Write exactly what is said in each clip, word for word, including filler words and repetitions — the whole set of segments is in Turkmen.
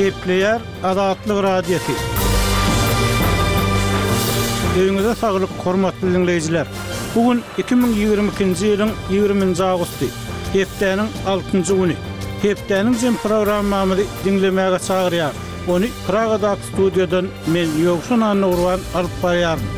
Gepleýär Azatlyk Radiosy. Öýüňize saglyk, hormatly diňleýjiler! Bu gün iki müň ýigrimi ikinji ýylyň ýigriminji awgusty, hepdäniň altynjy güni. Hepdäniň jem programmamyzy diňlemäge çagyrýarys. Ony Pragadaky studiýadan men, Ýowşan Annagurban alyp barýaryn.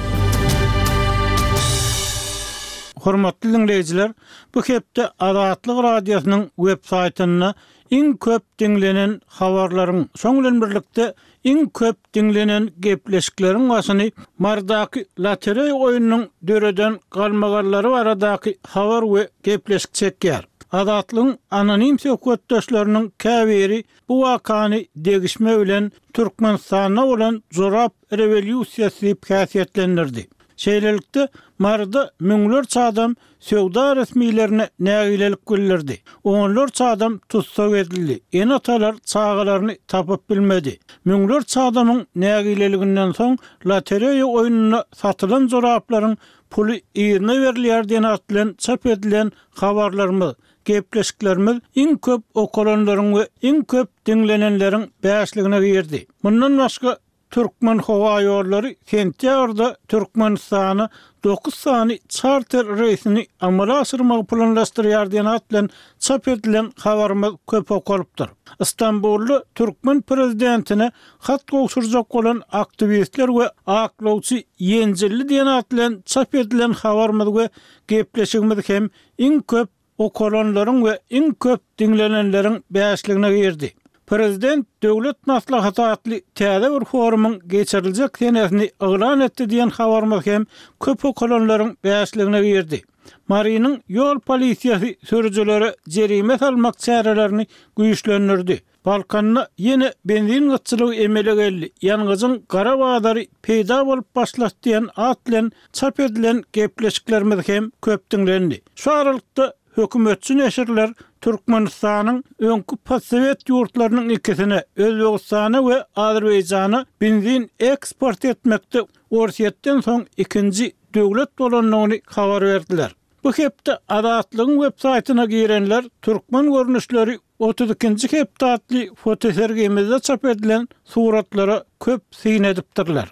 Hormatly diňleýjiler, bu hepde Azatlyk Radiosynyň web saýtynda iň köp diňlenen habarlaryň, şoň bilen birlikde iň köp diňlenen gepleşikleriň başyny Marydaky lotereýa oýnunyň döreden galmagallary baradaky habar we gepleşik çekýär. Azatlygyň anonim söhbetdeşleriniň käbiri bu wakany degişme bilen Türkmenistanda bolan jorap rewolýusiýasy diýip häsiýetlendirdi. Şeýlelikde, Maryda müňlerçe adam söwda resmilerine nägilelik bildirdi. Onlarça adam tussag edildi, ene-atalar çagalaryny tapyp bilmedi. Müňlerçe adamyň nägileliginden soň lotereýa oýnunda satylan joraplaryň puly yzyna berilýär diýen at bilen çap edilen habarlarymyz, gepleşiklerimiz iň köp okalanlaryň we iň köp diňlenenleriň bäşligine girdi. Mundan başga, Türkmenhowaýollary sentýabrda Türkmenistana dokuz sany çarter reýsini amala aşyrmagy planlaşdyrýar diýen at bilen çap edilen habarymyz köp okalypdyr. Stambulda türkmen prezidentine hat gowşurjak bolan aktiwistler we aklawçy ýenjildi diýen at bilen çap edilen habarymyz we gepleşigimiz hem iň köp okalanlaryň we iň köp diňlenenleriň bäşligine girdi. Prezident Döwlet maslahaty atly täze bir forumyň geçiriljek senesini yglan etdi diýen habarymyz hem köp okalanlaryň bäşligine girdi. Marynyň ýol polisiýasy sürüjilere jerime salmak çärelerini güýçlendirdi. Balkanda ýene benzin gytçylygy emele geldi, ýangyjyň gara bazary peýda bolup başlady diýen at bilen çap edilen gepleşiklerimiz hem köp diňlendi. Şu aralykda hökümetçi neşirler Türkmenistanyň öňki postsowet ýurtlarynyň ikisine, Özbegistana we Azerbaýjana benzin eksport etmekde Orsýetden soň ikinji döwlet bolandygyny habar berdiler. Bu hepde Azatlygyň websaýtyna girenler Türkmen görnüşleri otuz ikinji hepde atly fotosergimizde çap edilen suratlara köp syn edipdirler.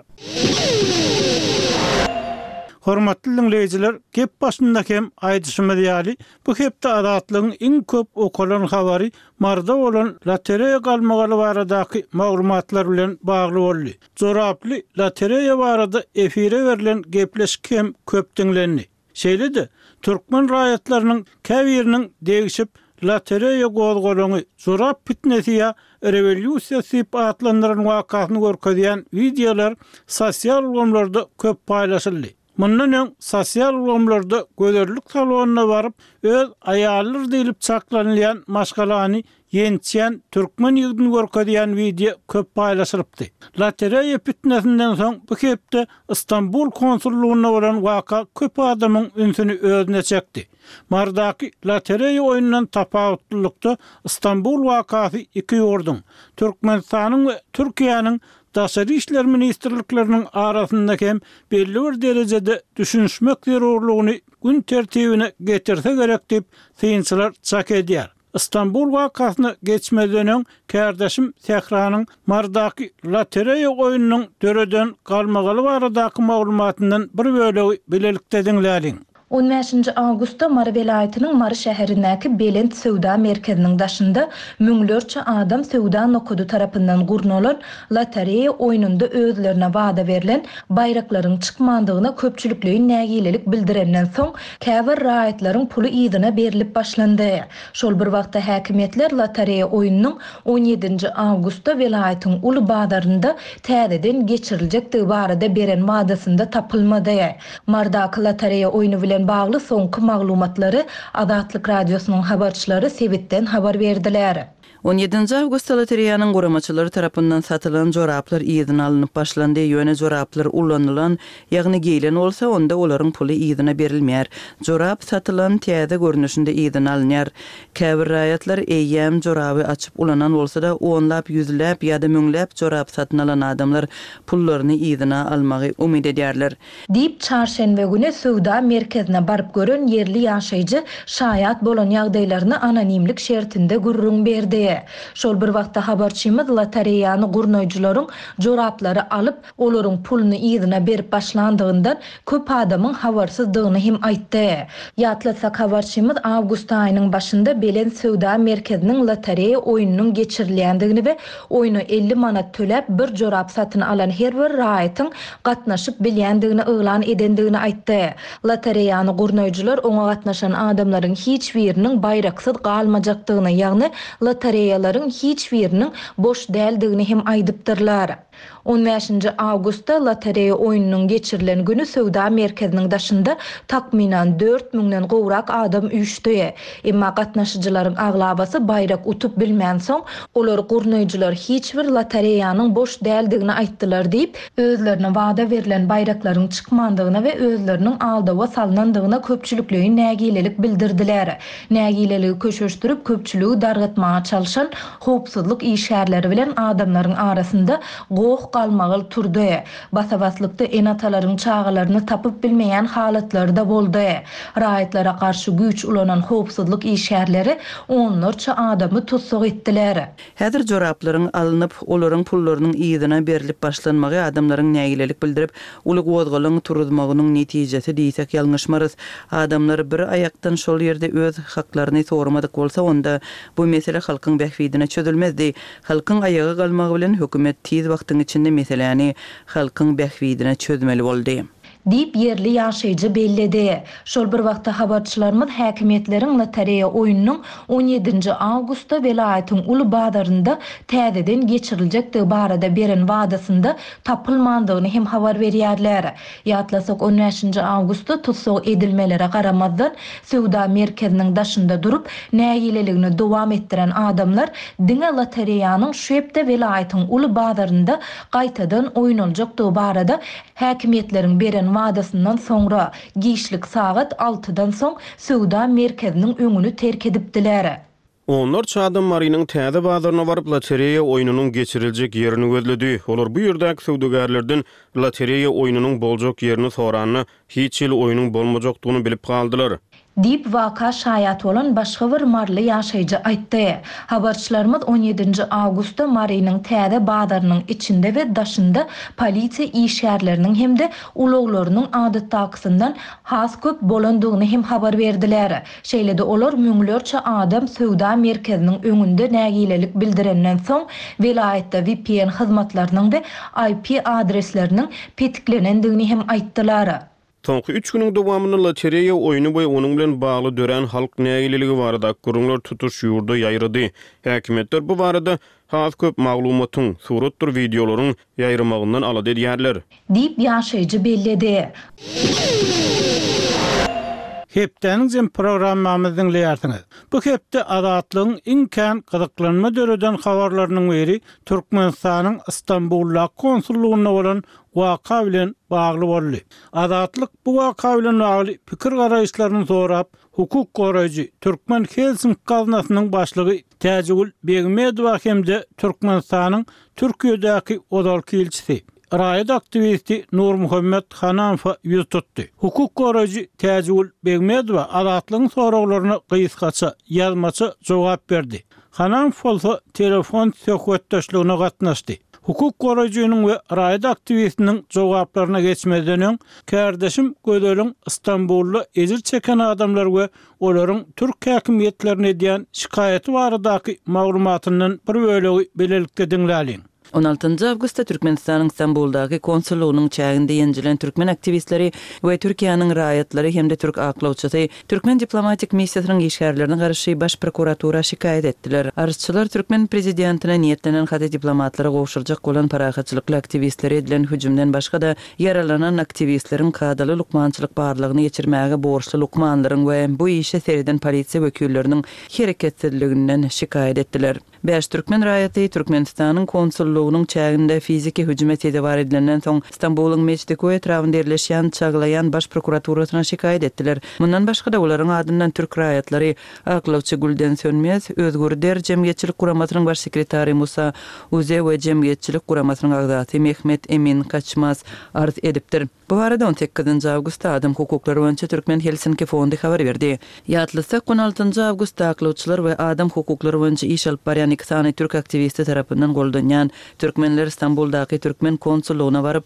Hormatly diňleýjiler, gep başynda hem aýdyşymyz ýaly, bu hepde Azatlygyň iň köp okalan habary Maryda bolan lotereýa galmagaly baradaky maglumatlar bilen bagly boldy. Joraply lotereýa barada efire berlen gepleşik hem köp diňlendi. Şeýle-de, türkmen raýatlarynyň käbiriniň degişip, lotereýa gozgalaňy, jorap pitnesi ýa rewolýusiýasy diýip atlandyran wakasyny görkezýän wideolar sosial ulgamlarda köp paýlaşyldy. Mundan öň sosial ulgamlarda gözellik salonyna baryp, öz aýalydyr diýlip çaklanylýan maşgalany ýençýän türkmen ýigidini görkezýän wideo köp paýlaşylypdy. Lotereýa pitnesinden soň bu hepde Stambul konsullygynda bolan waka köp adamyň ünsüni özüne çekdi. Marydaky lotereýa oýnundan tapawutlylykda Stambul wakasy iki ýurduň, Türkmenistanyň we Türkiýäniň Daşary işler ministrlikleriniň arasynda hem belli bir derejede düşünişmek zerurlygyny gün tertibine getirse gerek diýip, synçylar çak edýär. Stambul wakasyna geçmezden öň, kärdeşim Sähranyň Marydaky lotereýa oýnunyň döreden galmagaly baradaky maglumatyndan bir bölegi bilelikde diňläliň. On bäşinji awgustda Mary welaýatynyň Mary şäherindäki Belent söwda merkeziniň daşynda müňlerçe adam söwda nokady tarapyndan gurnalan lotereýa oýnunda özlerine wada berlen baýraklaryň çykmandygyna köpçülikleýin nägilelik bildirenden soň, käbir raýatlaryň puly yzyna berlip başlandy. Şol bir wagtda häkimiýetler lotereýa oýnunyň on ýedinji awgustda welaýatyň uly bazarynda täzeden geçiriljekdigi barada beren wadasynda tapylmady. Marydaky lotereýa oýny bilen bagly soňky maglumatlary Azatlyk Radiosynyň habarçylary sebitden habar berdiler. On ýedinji awgustda lotereýanyň guramaçylary tarapyndan satylan joraplar yzyna alnyp başlandy, ýöne joraplar ulanylan, ýagny geýlen bolsa, onda olaryň puly yzyna berilmeýär. Jorap satylan täze görnüşinde yzyna alynýar. Käbir raýatlar eýýäm joraby açyp ulanan bolsa-da, onlap, ýüzläp ýa-da müňläp jorap satyn alan adamlar pullaryny yzyna almagy umyt edýärler. Diýip, çarşenbe güni söwda merkezine baryp gören ýerli ýaşaýjy şaýat bolan ýagdaýlaryny anonimlik şertinde gürrüň berdi. belledi. Şol bir wagtda habarçymyz lotereýany gurnaýjylaryň joraplary alyp, olaryň puluny yzyna berip başlandygyndan köp adamyň habarsyzdygyny hem aýtdy. Ýatlatsak, habarçymyz awgust aýynyň başynda Belent söwda merkeziniň lotereýa oýnunyň geçirilýändigini we oýna elli manat töläp bir jorap satyn alan her bir raýatyň gatnaşyp bilýändigini yglan edendigini aýtdy. Lotereýany gurnaýjylar oňa gatnaşan adamlaryň hiç biriniň baýraksyz galmajakdygyny, ýagny lotereýalaryň hiç biriniň boş däldigini hem aýdypdyrlar. On bäşinji awgustda lotereýa oýnunyň geçirilen güni söwda merkeziniň daşynda takmynan dört müňden gowrak adam üýşdi. Emma gatnaşyjylaryň aglabasy baýrak utup bilmänsoň, olar gurnaýjylar hiç bir lotereýanyň boş däldigini aýtdylar diýip, özlerine wada berlen baýraklaryň çykmandygyna we özleriniň aldawa salnandygyna köpçülikleýin nägilelik bildirdiler. Nägileligi köşeşdirip, köpçüligi dargatmaga çalşan howpsuzlyk işgärleri bilen adamlaryň arasynda goh-galmagal turdy. Basa-baslykda ene-atalaryň çagalaryny tapyp bilmeýän halatlary-da boldy. Raýatlara garşy güýç ulanan howpsuzlyk işgärleri onlarça adamy tussag etdiler. Häzir joraplaryň alnyp, olaryň pullarynyň yzyna berlip başlanmagy adamlaryň nägilelik bildirip, uly gozgalaň turuzmagynyň netijesi diýsek ýalňyşmarys. Adamlar bir aýakdan şol ýerde öz haklaryny soramadyk bolsa, onda bu mesele halkyň bähbidine çözülmezdi. Halkyň aýaga galmagy bilen hökümet tiz wagtyň içinde meseläni halkyň bähbidine çözmeli boldy. Diýip, ýerli ýaşaýjy belledi. Şol bir wagtda habarçylarymyz häkimiýetleriň lotereýa oýnunyň on ýedinji awgustda welaýatyň uly bazarynda täzeden geçiriljekdigi barada beren wadasynda tapylmandygyny hem habar berýärler. Ýatlasak, on bäşinji awgustda tussag edilmelere garamazdan, söwda merkeziniň daşynda durup, nägileligini dowam etdiren adamlar diňe lotereýanyň şu hepde welaýatyň uly bazarynda gaýtadan oýnaljakdygy barada häkimiýetleriň beren wadasyndan soňra, giçlik sagat altydan soň söwda merkeziniň öňüni terk edipdiler. Onlarça adam Marynyň täze bazaryna baryp, lotereýa oýnunyň geçiriljek ýerini gözledi. Olar bu ýerdäki söwdagärlerden lotereýa oýnunyň boljak ýerini soranda, hiç hili oýnuň bolmajakdygyny bilip galdylar. Diýip, waka şaýat bolan başga bir maryly ýaşaýjy aýtdy. Habarçylarymyz on ýedinji awgustda Marynyň täze bazarynyň içinde we daşynda polisiýa işgärleriniň hem-de ulaglarynyň adatdakysyndan has köp bolandygyny hem habar berdiler. Şeýle-de olar müňlerçe adam söwda merkeziniň öňünde nägilelik bildirenden soň welaýatda V P N hyzmatlarynyň we I P adresleriniň petiklenendigini hem aýtdylar. Soňky üç günüň dowamynda lotereýa oýny we onuň bilen bagly dörän halk nägileligi barada gürrüňler tutuş ýurda ýaýrady. Häkimiýetler bu barada has köp maglumatyň, suratdyr wideolaryň ýaýramagyndan alada edýärler. Diýip ýaşaýjy belledi. Hepdäniň jem programmamyzy diňleýärsiňiz. Bu hepde Azatlygyň iň kän gyzyklanma döreden habarlarynyň biri Türkmenistanyň Istanbulda konsullugynda bolan waka bilen bagly boldy. Azatlyk bu waka bilen bagly pikir garaýyşlaryny sorap, hukuk goraýjy Türkmen Helsinki gaznasynyň başlygy Täjigül Begmedowa hem-de Türkmenistanyň Türkiýedäki ozalky ilçisi raýat aktiwisti Nurmuhammet Hananfa ýüz tutdy. Hukuk goraýjy Täjigül Begmedowa Azatlygyň soraglaryna gysgaça, ýazmaça jogap berdi. Hananf bolsa telefon söhbetdeşligine gatnaşdy. Hukuk goraýjynyň we raýat aktiwistiniň jogaplaryna geçmezden öň, kardeşim Gözeliň Istanbulda ejir çeken adamlar we olaryň türk häkimiýetlerine edýän şikaýaty baradaky maglumatyndan bir bölegi bilelikde diňläliň. On altynjy awgustda Türkmenistanyň Istanbuldaky konsullygynyň çäginde ýenjilen türkmen aktiwistleri we Türkiýäniň raýatlary hem-de türk aklawçysy türkmen diplomatik missiýasynyň işgärlerine garşy baş prokuratura şikaýat etdiler. Arzçylar türkmen prezidentine niýetlenen haty diplomatlara gowşurjak bolan parahatçylykly aktiwistleri edilen hüjümden başga-da ýaralanan aktiwistleriň kadaly lukmançylyk barlygyny geçirmäge borçly lukmanlaryň we bu işe sereden polisiýa wekilleriniň hereketsizliginden şikaýat etdiler. Bäş türkmen raýaty Türkmenistanyň konsullygynyň çäginde fiziki hüjüme sezewar edilenden soň Istanbulyň Meçdikoý etrabynda ýerleşýän Çaglaýan baş prokuraturasyna şikaýat etdiler. Mundan başga-da olaryň adyndan türk raýatlary Aklawçy Gülden Sönmez, Özgür Der jemgyýetçilik guramasynyň baş sekretary Musa Uze we jemgyýetçilik guramasynyň agzasy Mehmet Emin Kaçmaz arz edipdir. Bu barada on sekizinji awgustda Adam hukuklary boýunça Türkmen Helsinki fondy habar berdi. Ýatlatsak, on altynjy awgustda aklawçylar we adam hukuklary boýunça iş alyp barýan iki sany türk aktiwisti tarapyndan goldanýan türkmenler Stambuldaky türkmen konsullygyna baryp,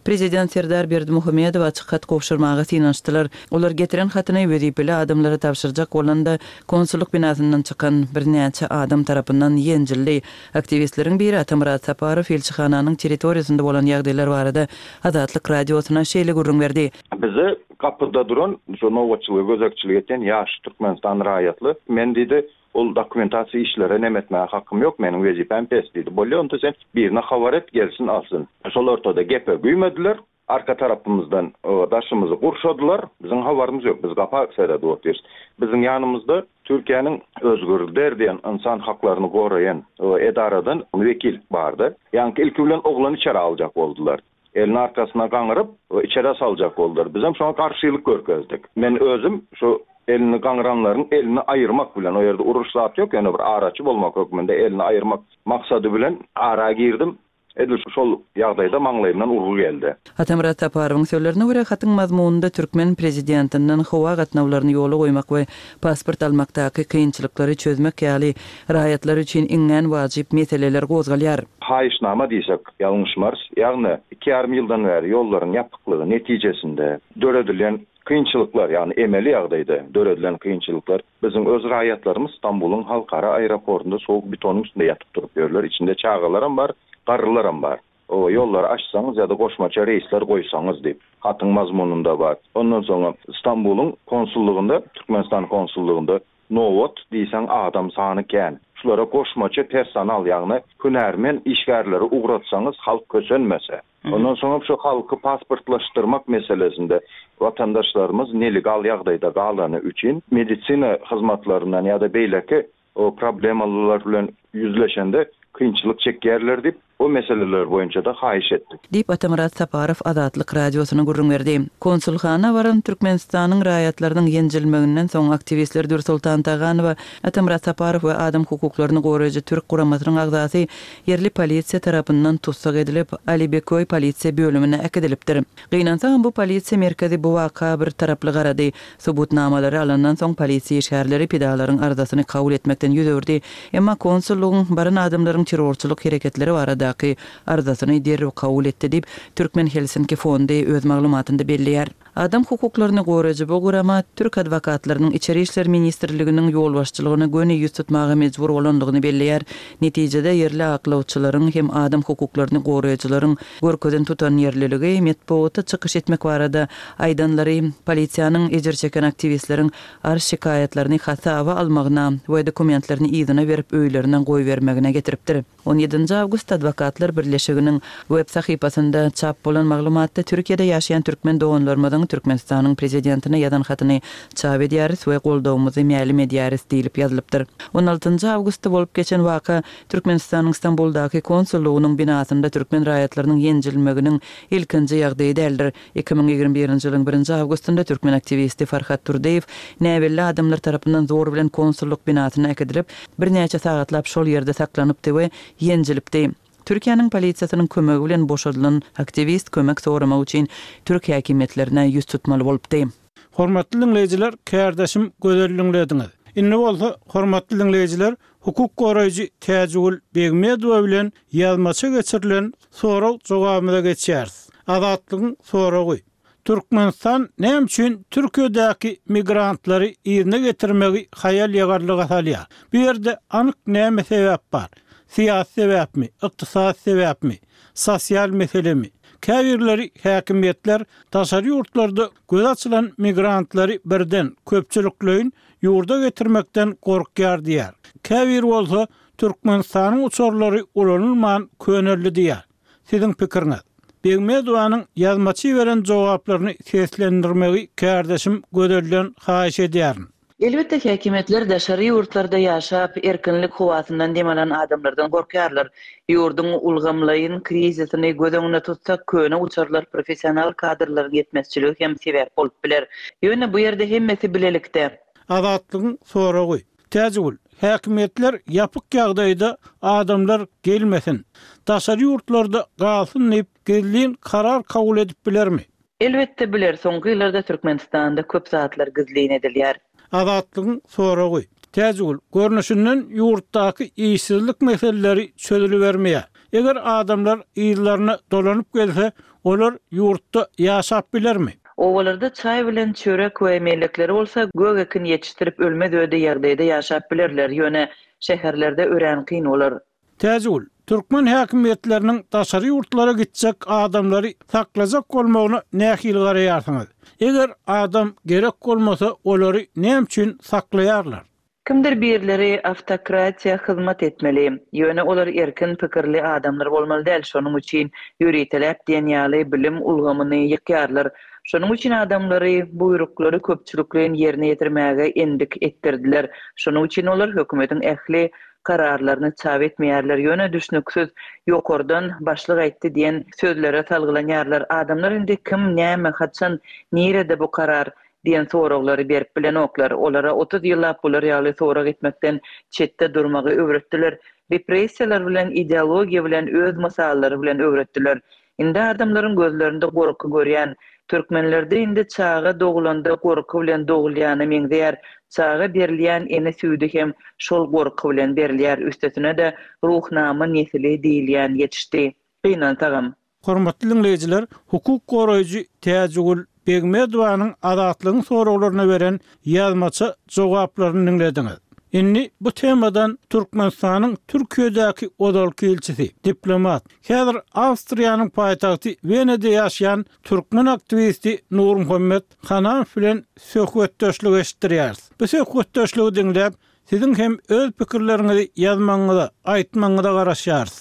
Prezident Serdar Berdimuhamedowa açyk hat gowşurmaga synanyşdylar. Olar getiren hatyny wezipeli adamlara tabşyrjak bolanda, konsullyk binasyndan çykan birnäçe adam tarapyndan ýenjildi. Aktiwistleriň biri Atamyrat Saparow ilçihananyň territoriýasynda bolan ýagdaýlar barada Azatlyk Radiosyna şeýle gürrüň berdi. Bize gapyda duran, şu nobatçylyga gözegçilik etýän ýaş Türkmenistan raýatly, men diýdi, ol dokumentasiýa işlere neme etmäge hakym ýok, meniň wezipäm pes diýdi. Bolýa, onda sen birine habar et, gelsin alsyn. Şol ortada gepe güýmediler, arka tarapymyzdan daşymyzy gurşadylar, biziň habarymyz ýok, biz gapa seredip otyrys. Biziň ýanymyzda Türkiýäniň Özgür Der diýen insan haklaryny goraýan edaradan wekil bardy. Ýaňky ilki bilen oglan içeri aljak boldular. Elini arkasyna gaňyryp, içeri saljak boldular. Bizem şoňa garşylyk görkezdik. Men özüm şu elini gaňyranlaryň elini aýyrmak bilen, o ýerde uruş zat ýok, ýöne bir araçy bolmak hökmünde elini aýyrmak maksady bilen ara girdim. Edil şol ýagdaýda maňlaýymdan urgy geldi. Atamyrat Saparowyň sözlerine görä, hatyň mazmunynda türkmen prezidentinden howa gatnawlaryny ýola goýmak we pasport almakdaky kynçylyklary çözmek ýaly raýatlar üçin iňňän wajyp meseleler gozgalýar. Haýyşnama diýsek, ýalňyşmarys. Ýagny iki ýarym ýyldan bäri ýollaryň ýapyklygy netijesinde döredilen kynçylyklar, ýagny emeli ýagdaýda döredilen kynçylyklar, biziň öz raýatlarymyz Stambulyň halkara aeroportunda sowuk betonyň üstünde ýatyp durup ýörler. Içinde çagalaram bar, garrylaram bar. O ýollary açsaňyz ýa-da goşmaça reýsler goýsaňyz diýip, hatyň mazmunynda bar. Ondan soňra Stambulyň konsullygynda, Türkmenistan konsullygynda nobat diýseň adam sany kän. Şulara goşmaça personal, ýagny hünärmen işgärleri ugratsaňyz halk kösenmese. Ondan soňra şu halky pasportlaşdyrmak meselesinde vatandaşlarymyz nelegal ýagdaýda galany üçin medisina hyzmatlaryndan ýa-da beýleki o problemalar bilen ýüzleşende kynçylyk çekýärler diýip, o meseleler boýunça da haýyş etdik. Diýip Atamyrat Saparow Azatlyk Radiosyna gürrüň berdi. Konsulhana baran Türkmenistanyň raýatlarynyň ýenjilmeginden soň aktiwistler Dürsoltan Taganowa, Atamyrat Saparow we adam hukuklaryny goraýjy türk guramasynyň agzasy ýerli polisiýa tarapyndan tussag edilip, Alibeköý polisiýa bölümine äkidilipdir. Gynansagam bu polisiýa merkezi bu waka bir taraply garady. Subutnamalary alandan soň polisiýa işgärleri pidalaryň arzasyny kabul etmekden ýüz öwürdi. Emma konsullygyň baran adamlaryň terrorçylyk hereketleri baradaky arzasyny derrew kabul etdi diýip, Türkmen Helsinki fondy öz maglumatynda belleýär. Adam hukuklaryny goraýjy bu gurama türk adwokatlarynyň Içeri işler ministrliginiň ýolbaşçylygyna göni ýüz tutmaga mejbur bolandygyny belleýär. Netijede ýerli aklawçylaryň hem adam hukuklaryny goraýjylaryň görkezen tutan ýerliligi metbugatda çykyş etmek barada aýdanlary polisiýanyň ejir çeken aktiwistleriň arz şikaýatlaryny hasaba almagyna we dokumentlerini yzyna berip öýlerine goýbermegine getiripdir. On ýedinji awgust Adwokatlar birleşiginiň web sahypasynda çap bolan maglumatda Türkiýede ýaşaýan türkmen doganlarymyzyň Türkmenistanyň prezidentine ýazan hatyny çap edýäris we goldawymyzy mälim edýäris diýlip ýazylypdyr. On altynjy awgustda bolup geçen waka Türkmenistanyň Stambuldaky konsullygynyň binasynda türkmen raýatlarynyň ýenjilmeginiň ilkinji ýagdaýy däldir. Iki müň ýigrimi birinji ýylyň birinji awgustynda türkmen aktiwisti Farhat Turdyýew näbelli adamlar tarapyndan zor bilen konsullyk binasyna äkidilip, birnäçe sagatlap şol ýerde saklanypdy we ýenjilipdi. Türkiýäniň polisiýasynyň kömegi bilen boşadylan aktiwist kömek soramak üçin türk häkimiýetlerine ýüz tutmaly bolupdy. Hormatly diňleýjiler, kärdeşim Gözel diňlediňiz. Indi bolsa hormatly diňleýjiler, hukuk goraýjy Täjigül Begmedowa bilen ýazmaça geçirilen sorag jogabymyza geçýäris. Azatlygyň soragy. Türkmenistan näme üçin Türkiýedäki migrantlary ýerine getirmegi haýal ýagarlyga salýar? Bu ýerde anyk näme sebäp bar? Syýasy sebäpmi, ykdysady sebäpmi, sosial meselemi? Käbirleri häkimiýetler daşary ýurtlarda göz açylan migrantlary birden köpçülikleýin ýurda getirmekden gorkýar diýär. Käbir bolsa Türkmenistanyň uçarlary ulanylman köneldi diýär. Siziň pikiriňiz? Begmedowanyň ýazmaçy beren jogaplaryny seslendirmegi kärdeşim Gözelden haýyş edýärin. Elbetde häkimiýetler daşary ýurtlarda ýaşap, erkinlik howasyndan dem alan adamlardan gorkýarlar. Ýurduň ulgamlaýyn krizisini göz öňünde tutsak, köne uçarlar professional kadrlaryň ýetmezçiligi hem sebäp bolup biler. Ýöne bu ýerde hemmesi bilelikde. Azatlygyň soragy. Täjigül, häkimiýetler ýapyk ýagdaýda adamlar gelmesin, daşary ýurtlarda galsyn diýip gizlin karar kabul edip bilermi? Elbetde biler, soňky ýyllarda Türkmenistanda köp zatlar gizlin edilýär. Azatlygyň soragy. Täjigül, görnüşinden ýurtdaky işsizlik meseleleri çözülibermeýär. Eger adamlar yzlaryna dolanyp gelse, olar ýurtda ýaşap bilermi? Obalarda çaý bilen çörek we mellekleri bolsa, gök ekin ýetişdirip ölmez öde ýagdaýda ýaşap bilerler, ýöne şäherlerde örän kyn bolar. Täjigül, türkmen häkimiýetleriniň daşary ýurtlara gitjek adamlary saklajak bolmagyna nähili garaýarsyňyz? Eger adam gerek bolmasa, olary näme üçin saklaýarlar? Kimdir birileri awtokratiýa hyzmat etmeli. Ýöne olar erkin pikirli adamlar bolmaly däl, şonuň üçin ýöriteläp diýen ýaly bilim ulgamyny ýykýarlar. Şonuň üçin adamlary buýruklary köpçülikleýin ýerine ýetirmäge endik etdirdiler. Şonuň üçin olar hökümetiň ähli kararlaryny çap etmeýärler, ýöne düşnüksiz ýokardan başlyk aýtdy diýen sözlere salgylanýarlar. Adamlar indi kim, näme, haçan, nirede bu karar diýen soraglary berip bilenoklar. Olara otuz ýyllap bular ýaly sorag etmekden çetde durmagy öwretdiler. Repressiýalar bilen, ideologiýa bilen, öz mysallary bilen öwretdiler. Indi adamlaryň gözlerinde gorky görýän. Türkmenlerde indi çaga dogulanda gorky bilen dogulýana meňzeýär. Çaga berilýän ene süýdi hem şol gorky bilen berilýär. Üstesine-de ruhnama nesili diýilýän ýetişdi. Gynansagam. Hormatly diňleýjiler, hukuk goraýjy Täjigül Begmedowanyň Azatlygyň soraglaryna beren ýazmaça jogaplaryny diňlediňiz. Indi bu temadan Türkmenistanyň Türkiýedäki ozalky ilçisi, diplomat, häzir Awstriýanyň paýtagty Wenada ýaşaýan türkmen aktiwisti Nurmuhammet Hanamow bilen söhbetdeşlik eşitdirýäris. Bu söhbetdeşligi diňläp, siziň hem öz pikirleriňizi ýazmagyňyza, aýtmagyňyza garaşýarys.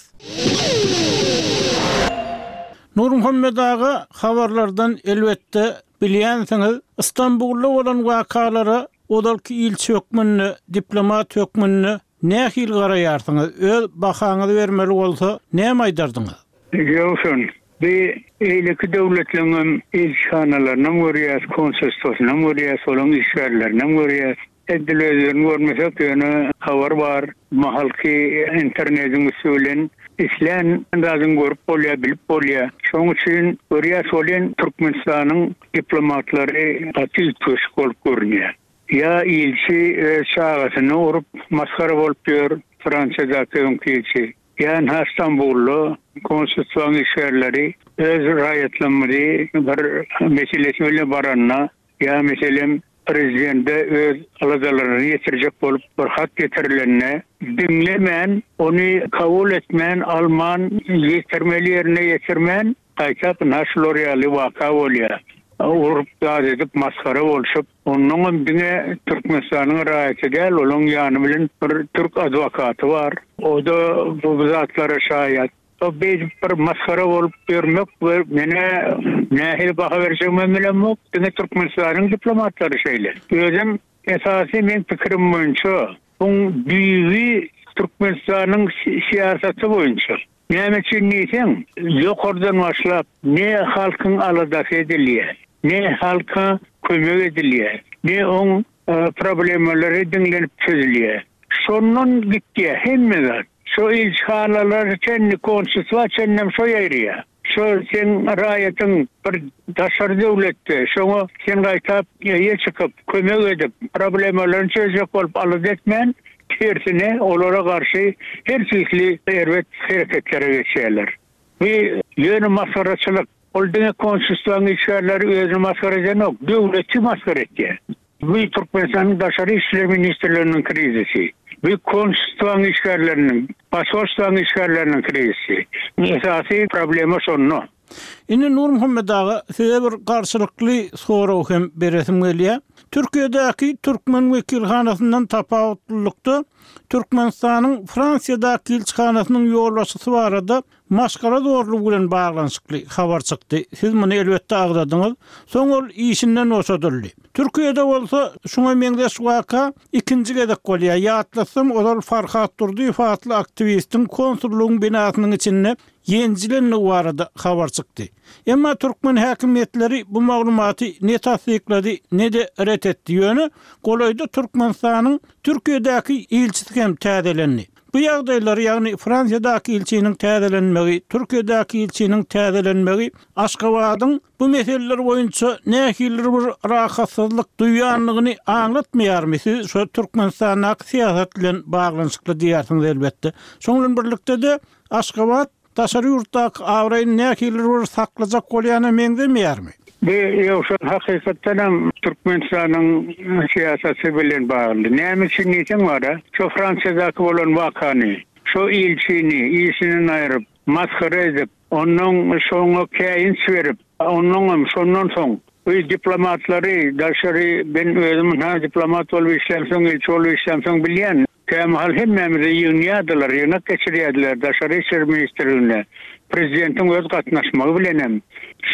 Nurmuhammet aga, habarlardan elbetde bilýänsiňiz, Istanbulda bolan wakalara ozalky ilçi hökmünde, diplomat hökmünde nähili garaýarsyňyz? Öz bahaňyzy bermeli bolsa näme aýdardyňyz? Ýogsa, bi eýleki döwletleriniň ilçihanalaryny görýäs, konsulstwasyny görýäs, olaryň işgärlerini görýäs. Edil özlerini görmesek, ýöne habar bar, mahalky internetiň üsti bilen islän zadyny görüp bolýar, bilip bolýar. Şonuň üçin görýäs bolýan Türkmenistanyň diplomatlary gaty üýtgeşik bolup görünýär. Ýa ilçi öz çagasyny urup masgara bolup ýör, Fransiyadaky öňki ilçi. Ýa Istanbulda konsulstwaň işgärleri öz raýatlarymyzy bir meselesi bilen baranda, ýa meselem prezidente öz aladalaryny ýetirjek bolup bir hat getirilende diňlemän, ony kabul etmän, alman, ýetirmeli ýerine ýetirmän, gaýtap şular ýaly waka bolýar. Urup zat edip masgara bolşup, onnoňam diňe Türkmenistanyň raýaty däl, olaň ýany bilen bir türk adwokaty bar. O da bu zatlara şaýat. O beýdip bir masgara bolup ýörmek we mene nähili baha berjegimi bilemok. Diňe Türkmenistanyň diplomatlary şeýle. Özüm esasy men pikirim boýunça buň düýbi Türkmenistanyň syýasaty boýunça. Näme üçin diýseň, ýokardan başlap ne halkyň aladasy edilýär, ne halka kömek edilýär, ne oň problemalary diňlenip çözülýär. Şondan gitýär hemme zat. Şo ilçihanalar çenli, konsulstwa çenli şo ýaýraýar. Şo sen raýatyň bir daşary döwletde, şoňa sen gaýtap ýe çykyp, kömek edip, problemalaryny çözjek bolup alada etmän, tersine olara garşy her türlü erbet hereketlere geçýärler. Bu ýöne masgaraçylyk. Ol diňe konsulstwaň işgärleri özüni masgara edenok, döwleti masgara etýär. Bu Türkmenistanyň Daşary işler ministrleriniň krizisi. Bu konsulstwaň işgärleriniň, pasportlaryň işgärleriniň krizisi. Esasy problema şonda. Indi Nurmuhammet aga, size bir garşylykly sorag hem beresim gelýär. Türkiýedäki türkmen wekilhanasyndan tapawutlylykda Türkmenistanyň Fransiýadaky ilçihanasynyň ýolbaşçysy barada maşgala zorlugy bilen baglanyşykly habar çykdy. Siz muny elbetde agzadyňyz. Soň ol işinden boşadyldy. Türkiýede bolsa şuňa meňzeş waka ikinji gezek bolýar. Ýatlasam, ozal Farhat Durdyýew atly aktiwistiň konsullygyň binasynyň içinde ýenjilenligi barada habar çykdy. Emma türkmen häkimiýetleri bu maglumaty ne tassyklady, ne de ret etdi. Ýöne golaýda Türkmenistanyň Türkiýedäki ilçisi hem täzelendi. Bu ýagdaýlar, ýagny Fransiýadaky ilçiniň täzelenmegi, Türkiýedäki ilçiniň täzelenmegi Aşgabadyň bu meseleler boýunça nähilidir bir rahatsyzlyk duýanlygyny aňlatmaýarmy? Siz şu Türkmenistandaky syýasat bilen baglanyşykly diýersiňiz elbetde. Şonuň bilen birlikde-de Aşgabat daşary ýurtdaky abraýyny nähilidir bir saklajak bolýana meňzemeýärmi? Bu ýogsa hakykatdan hem Türkmenistanyň syýasaty bilen bagly. Näme üçin diýseň bara, şo Fransiýadaky bolan wakany, şo ilçini işinden aýryp, masgara edip, ondan şoňa käýinç berip, ondan şondan soň bu diplomatlary daşary ben özüm ha diplomat bolup işlämsoň, ilçi bolup işlämsoň bilýän. Kämahal hemmämizi ýygnýardylar, ýygnak geçirýärdiler daşary işler ministrligine. Prezidentiň öz gatnaşmagy bilenem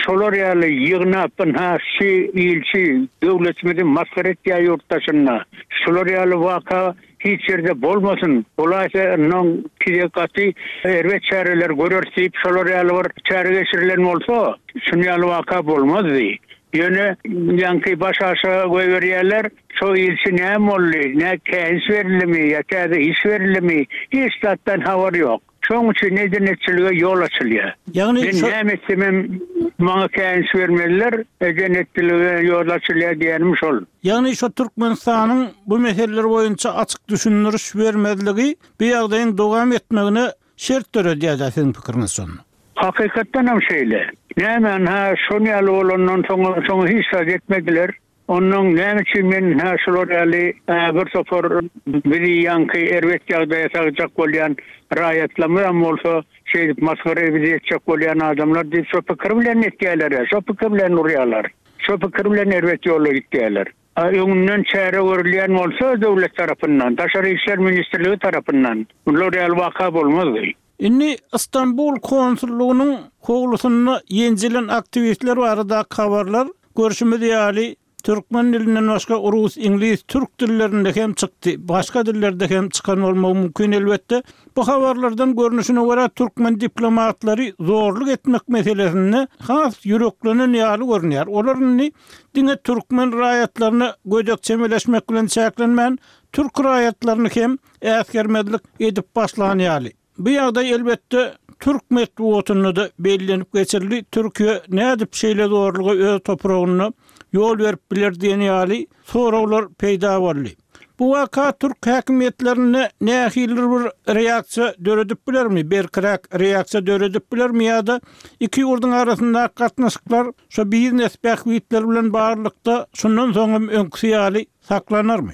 şolar ýaly ýygnap ynha şu ilçi döwletimizi masgara etýär ýurtdaşyna. Şolar ýaly waka hiç ýerde bolmasyn. Bolaýsa ondan kide gaty erbet çäreler görer diýip şolar ýaly bir çäre geçirilen bolsa, şun ýaly waka bolmazdy. Ýöne ýaňky baş aşa goýberýärler, şo ilçi näme boldy, ne käýinç berilimi ýa täze iş berilimi, hiç zatdan habar ýok. Şoň üçin eden-etçilige ýol açylýar. Ýagny Men näme etsemem maňa käýinç bermeliler, eden-etçilige ýol açylýar diýenim şol. Ýagny şu Türkmenistanyň bu meseleler boýunça açyk düşündiriş bermezligi bu ýagdaýyň dowam etmegine şert döredýär siziň pikiriňiz şonda. Hakykatdan hem şeýle. Näme ha şon ýaly bolandan soň soň hiç zat etmediler. Ondan näme üçin men ha şolar ýaly bir topar bizi ýaňky erbet ýagdaýa sagjak bolýan raýatlarymyzam bolsa şeýdip masgara bizi etjek bolýan adamlar diýip şo pikir bilen etýärler, şo pikir bilen urýarlar. Şo pikir bilen erbet ýola gitýärler. Öňünden çäre görülýän bolsa döwlet tarapyndan, Daşary işler ministrligi tarapyndan bular ýaly waka bolmazdy. Indi İstanbul konsullugynyň howlusynda ýenjilen aktiwistler barada habarlar görüşimiz ýaly Türkmen dilinden başga rus, iňlis, türk dillerinde hem çykdy. Başga dillerde hem çykan bolmagy mümkin elbetde. Bu habarlardan görnüşine görä türkmen diplomatlary zorluk etmek meselesinde has ýüreklenen ýaly görünýär. Olar indi diňe türkmen raýatlaryna gödek çemeleşmek bilen çäklenmän, türk raýatlaryny hem äsgermezlik edip başlan ýaly. Bu ýagdaý elbetde türk metbugatynda da bellenip geçirildi. Türkiýe nädip şeýle zorluga öz topragynda ýol berip biler diýen ýaly soraglar peýda boldy. Bu waka türk häkimiýetlerinde nähilidir bir reaksiýa döredip bilermi? Berkiräk reaksiýa döredip bilermi ýa-da iki ýurduň arasyndaky gatnaşyklar şu biznes bähbitler bilen baglylykda şundan soň hem öňküsi ýaly saklanarmy?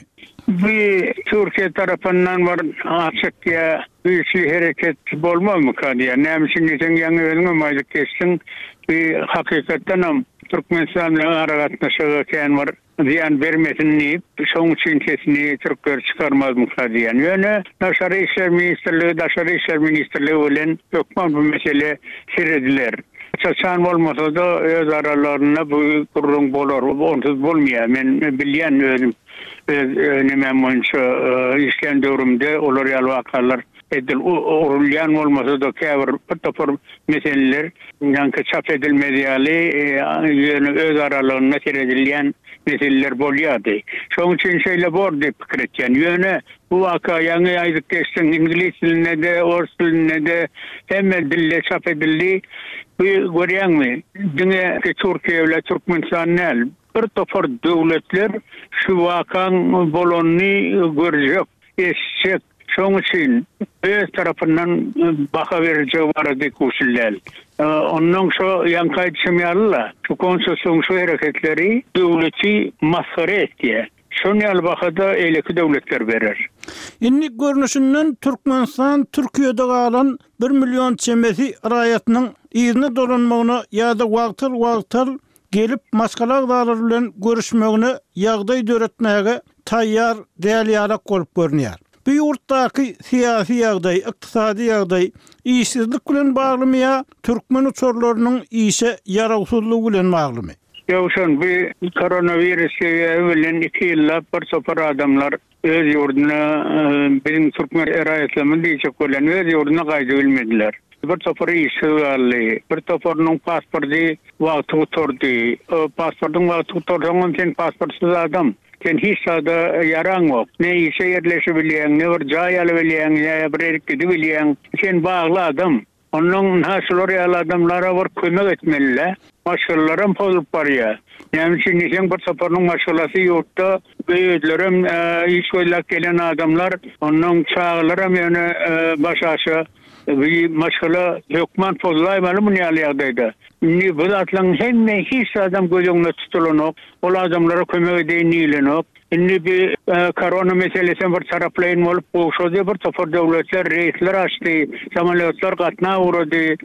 Bu Türkiye tarapyndan bir açyk ýa güýçli hereket bolmazmyka diýär. Näme üçin diýseň ýaňy özüňem aýdyp geçdiň. Bu hakykatdan hem Türkmenistan bilen aragatnaşygy kän bir zyýan bermesin diýip, şoň üçin sesini türkler çykarmazmyka diýen. Ýöne Daşary işler ministrligi, Daşary işler ministrligi bilen hökman bu mesele serediler. Çaçan bolmasa da öz aralarynda bu gürrüň bolar. Onsuz bolmaýar. Men bilýän özüm öz nemem boýunça işleýän döwrümde olar ýaly wakalar edil urulýan bolmasa da käbir bir topar meseleler ýaňky çap edilmez ýaly ýöne öz aralarynda seredilýän meseleler bolýardy. Şoň üçin şeýle bor diýip pikir etýän. Ýöne bu waka ýaňy aýdyp geçdiň, iňlis dilinde de, ors dilinde de hemme dilde çap edildi. Bu görýäňmi? Diňe Türkiýe bilen Türkmenistan däl, bir topar döwletler şu wakaň bolanyny görjek, eşitjek. Şoň üçin öz tarapyndan baha berjek barada kuşul däl. Ondan şo ýaňky aýdyşym ýaly-la, şu konsullygyň şu hereketleri döwleti masgara etýär. Şoň ýaly bahada eleki döwletler berer. Indi görnüşinden Türkmenistan Türkiýede galan bir milyon çemesi raýatynyň yzyna dolanmagyna ýa-da wagtal-wagtal gelip maşgala agzalary bilen görüşmegine ýagdaý döretmäge taýýar däl ýalak bolup görünýär. Bu ýurtdaky syýasy ýagdaý, ykdysady ýagdaý işsizlik bilen baglymy ýa türkmen uçarlarynyň işe ýarawsyzlygy bilen baglymy? Ýowşan, bu koronawirus sebäbi bilen iki ýyllap bir topar adamlar öz ýurduna, biziň türkmen raýatlarymyz diýjek bolýan, öz ýurduna gaýdyp bilmediler. Bir topar işsiz galdy, bir toparynyň pasporty wagty gutardy. O pasportyň wagty gutarsaň hem sen pasportsyz adam. Sen hiç zada ýaraňok. Ne işe ýerleşibilýäň, ne bir jaý alybilýäň, ne bir ýerik gidibilýäň. Sen bagly adam. Ondan ynha şular ýaly adamlara bir kömek etmeli-dä. Maşgalalaram pozulyp barýar. Näme üçin diýseň, bir toparynyň maşgalasy ýurtda, özlerem iş gözläp gelen adamlar, ondan çagalaram ýöne başaşa bir maşgala hökman pozulaýmaly muny ýaly ýagdaýda. Indi bu zatlaryň hemme hiç zadam göz öňünde tutulanok. Ol adamlara kömek edeýin diýilenok. Indi bir korona meselesi bir taraplaýyn bolup gowşady, bir topar döwletler reýsler açdy, samolýotlar gatnap ugrady.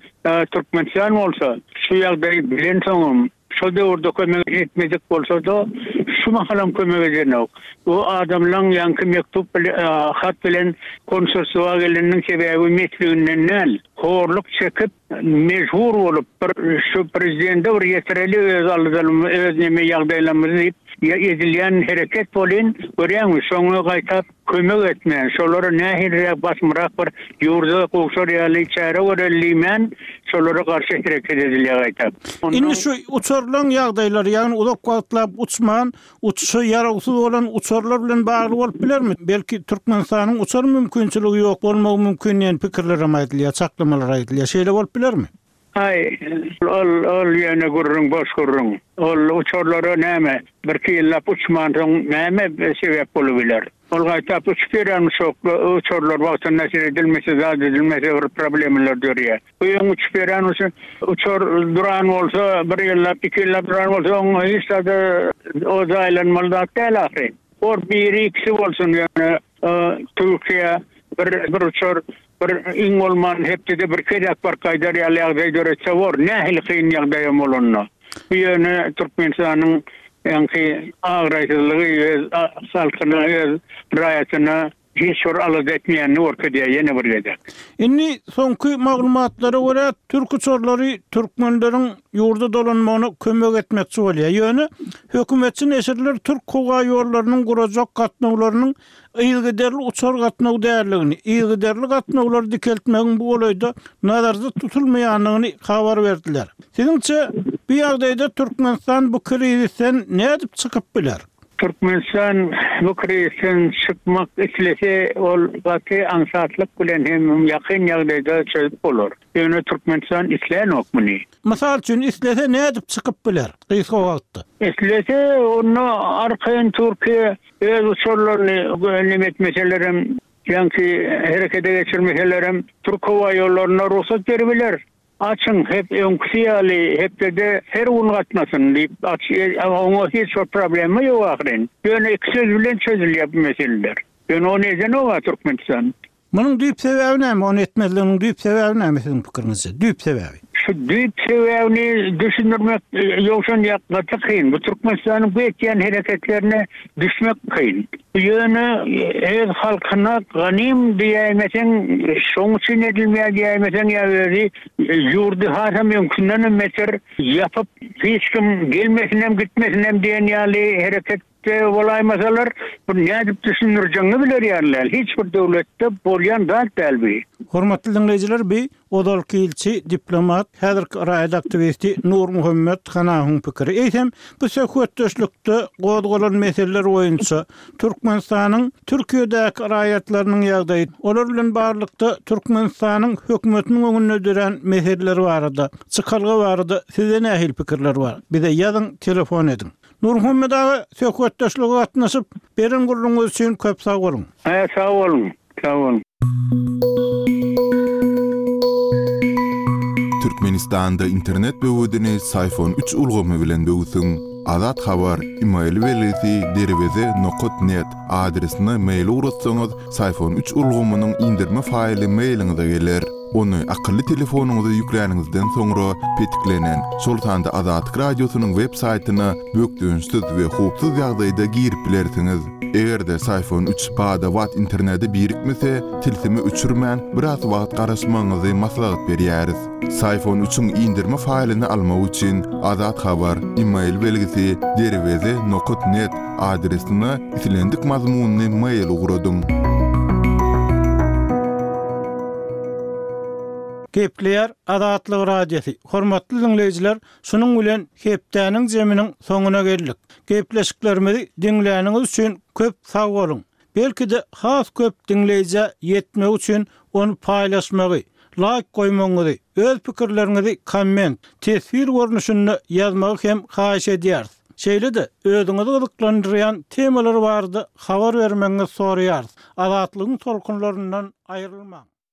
Türkmenistan bolsa şu ýagdaýy bilensoňam, şo döwürde kömek etmedik bolsa-da, şu mahalam kömek edenok. Bu adamlaň ýaňky mektup hat bilen konsulstwa geleniniň sebäbi mesliginden däl, horluk çekip, mejbur bolup bir şu prezidente bir ýetireli öz aladalarymyzy, öz neme ýagdaýlarymyzy diýip edilýän hereket bolyn, görýäňmi, şoňa gaýtap kömek etmän, şolara nähiliräk basymrak bir ýurda gowşar ýaly çäre göreli diýmän, şolara garşy hereket edilýär gaýtap. Indi şu uçarlaryň ýagdaýlary, ýagny uzak wagtlap uçman, uçuşa ýarawsyz bolan uçarlar bilen bagly bolup bilermi? Belki Türkmenistanyň uçar mümkinçiligi ýok bolmagy mümkin diýen pikirler hem aýdylýar, çaklamalar aýdylýar. Şeýle bolup bilermi? Aý, ol ol ýöne gürrüň, boş gürrüň. Ol uçarlara näme, birki ýyllap uçmansoň näme sebäp bolup biler? Ol gaýtap uçup ýören uçarlar wagtynda seredilmese, zat edilmese bir problemler dörýär. Bu ýöň uçup ýören uçar duran bolsa, bir ýyllap, iki ýyllap duran bolsa, oň hiç zada o jaýlanmaly zat däl ahyry. Or biri ikisi bolsun ýöne Türkiýe bir bir uçar bir iň bolman hepdede bir gezek baryp gaýdar ýaly ýagdaý döretse bor. Nähili kyn ýagdaýam bolanda. Bu ýöne Türkmenistanyň ýaňky agraýsyzlygy öz halkyna, öz raýatyna hiç bir alada etmeýänini görkezýär ýene bir gezek. Indi soňky maglumatlara görä türk uçarlary türkmenleriň ýurda dolanmagyna kömek etmekçi bolýar. Ýöne hökümetçi neşirler türk howa ýollarynyň gurajak gatnawlarynyň yzygiderli uçar gatnaw däldigini, yzygiderli gatnawlary dikeltmegiň bu golaýda nazarda tutulmaýandygyny habar berdiler. Siziňçe bu ýagdaýda Türkmenistan bu krizisden nädip çykyp biler? Türkmenistan bu krizisden çykmak islese, ol gaty aňsatlyk bilen hem ýakyn ýagdaýda çözüp bolar. Ýöne Türkmenistan islänok muny. Mysal üçin islese nädip çykyp biler gysga wagtda? Islese onda arkaýyn Türkiýe öz uçarlaryny neme etmeselerem, ýaňky herekete geçirmeselerem Türk howa ýollaryna rugsat beribiler. Açyň hep öňküsi ýaly hepdede her gün gatnasyn diýip, oňa hiç bir problema ýok ahyryn. Ýöne iki söz bilen çözülýär bu meseleler. Ýöne ony edenok Türkmenistan. Munuň düýp sebäbi näme? Ony etmezliginiň düýp sebäbi näme siziň pikiriňizçe? Düýp sebäbi. Şu düýp sebäbini düşündirmek ýogşan gaty kyn. Bu Türkmenistanyň bu etýän hereketlerine düşmek kyn. Ýöne öz halkyna ganym diýäýmeseň, şoň üçin edilmeýär diýäýmeseň ýa özi ýurdy hasam öňkünden beter ýapyp hiç kim gelmesin gitmesin hem diýen ýaly hereket bolaýmasalar, bu nädip düşündirjegiňi biler ýalylar. Hiç bir döwletde bolýan zat däl bu. Hormatly dinleýjiler, bi ozalky ilçi, diplomat, häzirki raýat aktiwisti Nurmuhammet Hanawyň pikiri. Eýsem, bu söhbetdeşlikde gozgalan meseleler boýunça Türkmenistanyň Türkiýedäki raýatlarynyň ýagdaýy, olar bilen baglylykda Türkmenistanyň hökümetiniň öňünde duran meseleler barada, çykalga barada size nähili pikirler bar? Bize ýazyň, telefon ediň. Nurmuhammet aga söhbetdeşlige gatnaşyp, beren gürrüňiz üçin köp sag boluň. Hä, sag boluň. Sag boluň. Türkmenistanda internet böwedini Syfon üç ulgamy bilen böwsüň. Azat Habar, e-mail belgisi derweze nokat net adresine mail ugratsaňyz, Syfon üç ulgamynyň indirme faýly mailiňize geler. Ony akylly telefonyňyza ýükläniňizden soňra petiklenen, şol sanda Azatlyk radiosynyň web saýtyna bökdençsiz we howpsuz ýagdaýda girip bilersiňiz. Eger-de Syfon üç bada-bat internete birikmese, tilsimi öçürmän biraz wagt garaşmagyňyzy maslahat berýäris. Syfon üçiň indirme faýlyny almak üçin Azat Habar, e-mail belgisi derweze nokat net adresine islendik mazmunyny mail ugradyň. Gepleýär Azatlyk Radiosy. Hormatly diňleýjiler, şunuň bilen hepdäniň zeminiň soňuna geldik. Gepleşiklerimizi diňläniňiz üçin köp sag boluň. Belki-de has köp diňleýjä ýetmek üçin ony paýlaşmagy, laýk goýmagyňyzy, öz pikirleriňizi komment, teswir görnüşinde ýazmagy hem haýyş edýäris. Şeýle-de özüňizi gyzyklandyrýan temalar barada habar bermegiňizi soraýarys. Azatlygyň tolkunlaryndan aýrylmaň.